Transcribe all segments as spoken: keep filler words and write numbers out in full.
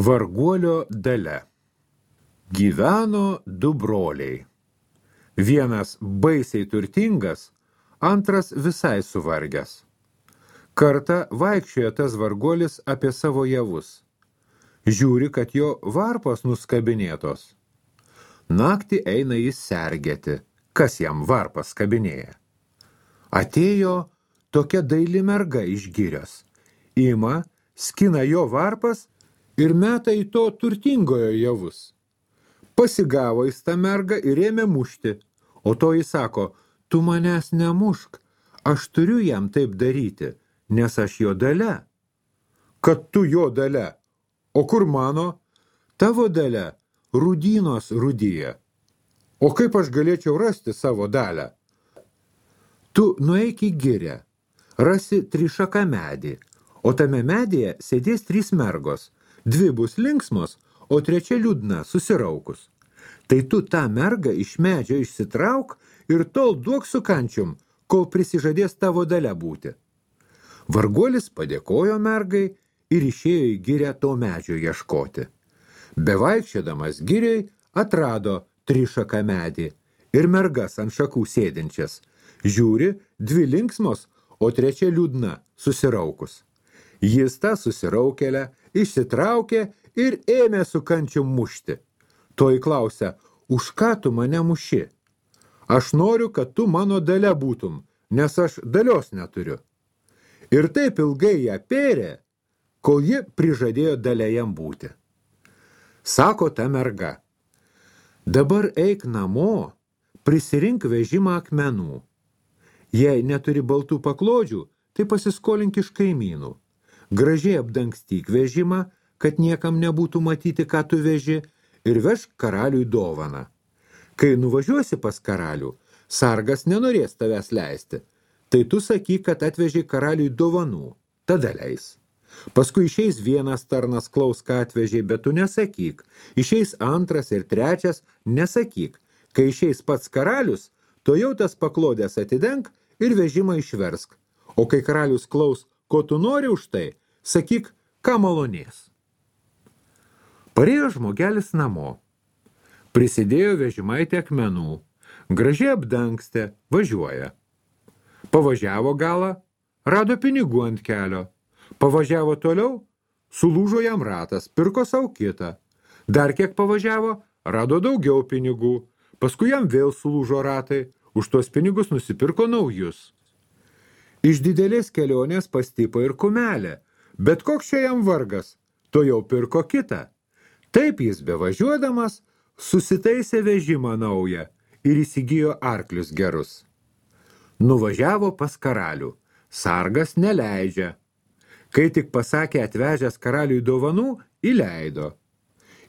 Varguolio dalia. Gyveno du broliai. Vienas baisiai turtingas, antras visai suvargęs. Kartą vaikščiojo tas varguolis apie savo javus. Žiūri, kad jo varpos nuskabinėtos. Naktį eina jis sergėti, kas jam varpas kabinėja. Atėjo tokia daili merga iš girios. Ima, skina jo varpas ir meta į to turtingojo javus. Pasigavo jis tą mergą ir ėmė mušti, o to jis sako, tu manęs nemušk, aš turiu jam taip daryti, nes aš jo dalia. Kad tu jo dalia, o kur mano? Tavo dalia rūdynos rūdyja. O kaip aš galėčiau rasti savo dalę? Tu nueik į girę, rasi trišaką medį, o tame medyje sėdės trys mergos, dvi bus linksmos, o trečia liūdna, susiraukus. Tai tu tą mergą iš medžio išsitrauk ir tol duok su kančium, kol prisižadės tavo dalia būti. Varguolis padėkojo mergai ir išėjo į girę to medžio ieškoti. Bevaikščiodamas giriai atrado trišaką medį ir mergas ant šakų sėdinčias. Žiūri, dvi linksmos, o trečia liūdna, susiraukus. Jis tą susiraukėlę išsitraukė ir ėmė su kančium mušti. Toj klausia, už ką tu mane muši? Aš noriu, kad tu mano dalia būtum, nes aš dalios neturiu. Ir taip ilgai ją pėrė, kol ji prižadėjo dalia jam būti. Sako ta merga, dabar eik namo, prisirink vežimą akmenų. Jei neturi baltų paklodžių, tai pasiskolink iš kaimynų. Gražiai apdangstyk vežimą, kad niekam nebūtų matyti, ką tu veži, ir vežk karaliui dovaną. Kai nuvažiuosi pas karalių, sargas nenorės tavęs leisti, tai tu sakyk, kad atveži karaliui dovanų, tada leis. Paskui išeis vienas tarnas klaus, ką atvežiai, bet tu nesakyk. Išeis antras ir trečias, nesakyk. Kai išeis pats karalius, to jau tas paklodės atidenk ir vežimą išversk. O kai karalius klaus, ko tu nori už tai, sakyk, ką malonės. Parėjo žmogelis namo. Prisidėjo vežimaitį akmenų. Gražiai apdangstė, važiuoja. Pavažiavo galą, rado pinigų ant kelio. Pavažiavo toliau, sulūžo jam ratas, pirko savo kitą. Dar kiek pavažiavo, rado daugiau pinigų. Paskui jam vėl sulūžo ratai, už tuos pinigus nusipirko naujus. Iš didelės kelionės pastipo ir kumelė, bet koks čia jam vargas, to jau pirko kitą. Taip jis bevažiuodamas susitaisė vežimą naują ir įsigijo arklius gerus. Nuvažiavo pas karalių, sargas neleidžia. Kai tik pasakė atvežęs karaliui dovanų, įleido.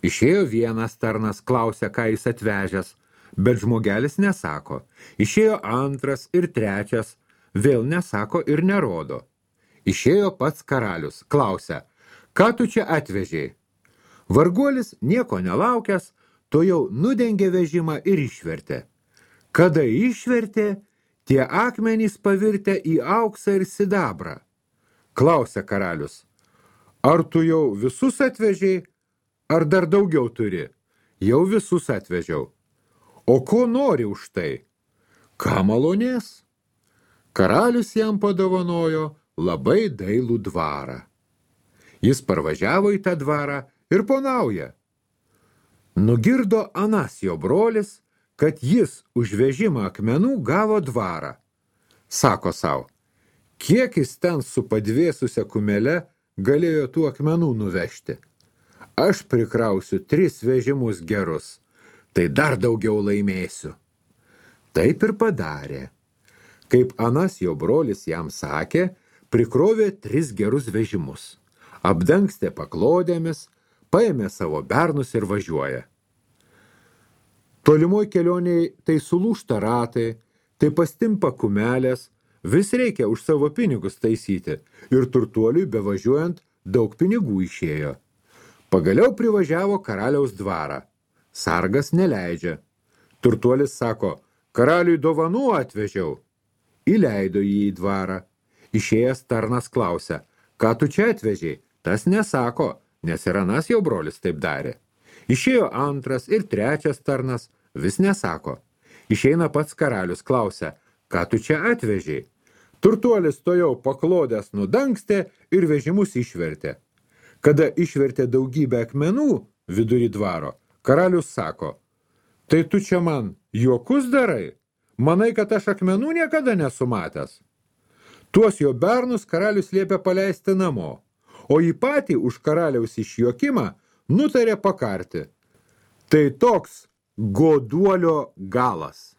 Išėjo vienas tarnas, klausė, ką jis atvežęs, bet žmogelis nesako. Išėjo antras ir trečias, vėl nesako ir nerodo. Išėjo pats karalius, klausė, ką tu čia atvežiai? Varguolis, nieko nelaukęs, to jau nudengė vežimą ir išvertė. Kada išvertė, tie akmenys pavirtė į auksą ir sidabrą. Klausė karalius, ar tu jau visus atvežiai, ar dar daugiau turi? Jau visus atvežiau. O ko nori už tai? Ką malonės? Karalius jam padovanojo labai dailų dvarą. Jis parvažiavo į tą dvarą ir ponauja. Nugirdo anas jo brolis, kad jis už vežimą akmenų gavo dvarą. Sako sau, kiek jis ten su padvėsusia kumele galėjo tų akmenų nuvežti. Aš prikrausiu tris vežimus gerus, tai dar daugiau laimėsiu. Taip ir padarė. Kaip anas jo brolis jam sakė, prikrovė tris gerus vežimus. Apdangstė paklodėmis, paėmė savo bernus ir važiuoja. Tolimoj kelioniai tai sulūžta ratai, tai pastimpa kumelės, vis reikia už savo pinigus taisyti ir turtuoliui bevažiuojant daug pinigų išėjo. Pagaliau privažiavo karaliaus dvarą. Sargas neleidžia. Turtuolis sako, karaliui dovanų atvežiau. Įleido jį į dvarą. Išėjęs tarnas klausia, ką tu čia atvežiai? Tas nesako, nes ir anas jau brolis taip darė. Išėjo antras ir trečias tarnas, vis nesako. Išeina pats karalius, klausia, ką tu čia atvežiai? Turtuolis tojau paklodęs nudangstė ir vežimus išvertė. Kada išvertė daugybę akmenų vidury dvaro, karalius sako, tai tu čia man juokus darai? Manai, kad aš akmenų niekada nesumatęs? Tuos jo bernus karalius liepė paleisti namo, o jį patį už karaliaus išjuokimą nutarė pakarti. Tai toks goduolio galas.